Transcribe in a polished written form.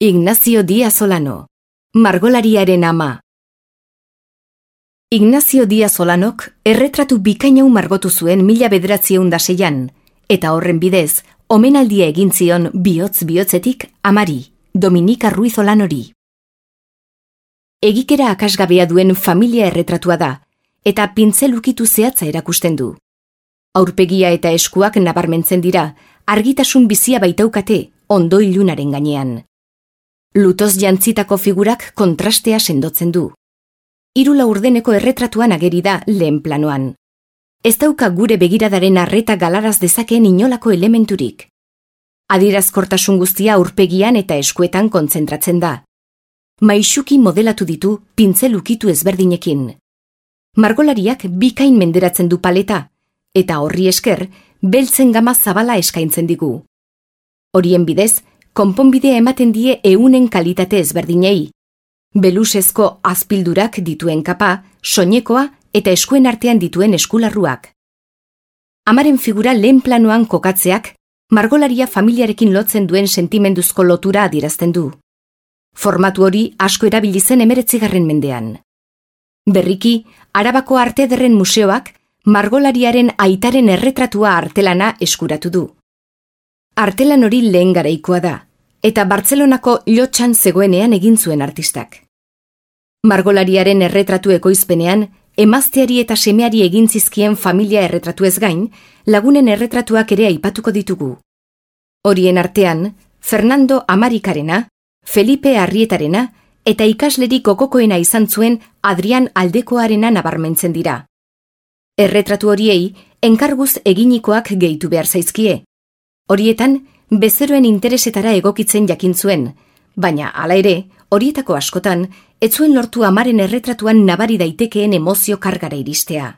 Ignacio Díaz Olano, margolariaren ama. Ignacio Díaz Olanok erretratu bikainau margotu zuen 1906an, eta horren bidez, omenaldia egin zion bihotz-bihotzetik amari, Dominika Ruiz Olanori. Egikera akasgabea duen familia erretratua da, eta pintzel ukitu zehatza erakusten du. Aurpegia eta eskuak nabarmentzen dira, argitasun bizia baitaukate ondo ilunaren gainean. Lutoz jantzitako figurak kontrastea sendotzen du. 3 laurdeneko erretratuan ageri da lehen planoan. Ez dauka gure begiradaren arreta galaraz dezakeen inolako elementurik. Adierazkortasun guztia aurpegian eta eskuetan kontzentratzen da. Maisuki modelatu ditu pintzel ukitu ezberdinekin. Margolariak bikain menderatzen du paleta, eta horri esker, beltzen gama zabala eskaintzen digu. Horien bidez, konponbidea ematen die eunen kalitate ezberdinei. Belusezko azpildurak dituen kapa, soinekoa eta eskuen artean dituen eskularruak. Amaren figura lehen planoan kokatzeak, margolaria familiarekin lotzen duen sentimenduzko lotura adierazten du. Formatu hori asko erabili zen 19. mendean. Berriki, Arabako Arte Ederren Museoak margolariaren aitaren erretratua artelana eskuratu du. Artelan hori lehen garaikoa da, eta Bartzelonako Llotsan zegoenean egin zuen artistak. Margolariaren erretratu ekoizpenean, emazteari eta semeari egin zizkien familia erretratu ez gain, lagunen erretratuak ere aipatuko ditugu. Horien artean, Fernando Amarikarena, Felipe Arrietarena eta ikaslerik gogokoena izan zuen Adrian Aldekoarena nabarmentzen dira. Erretratu horiei, enkarguz eginikoak gehitu behar zaizkie. Horietan, bezeroen interesetara egokitzen jakin zuen, baina hala ere, horietako askotan, ez zuen lortu amaren erretratuan nabari daitekeen emozio kargara iristea.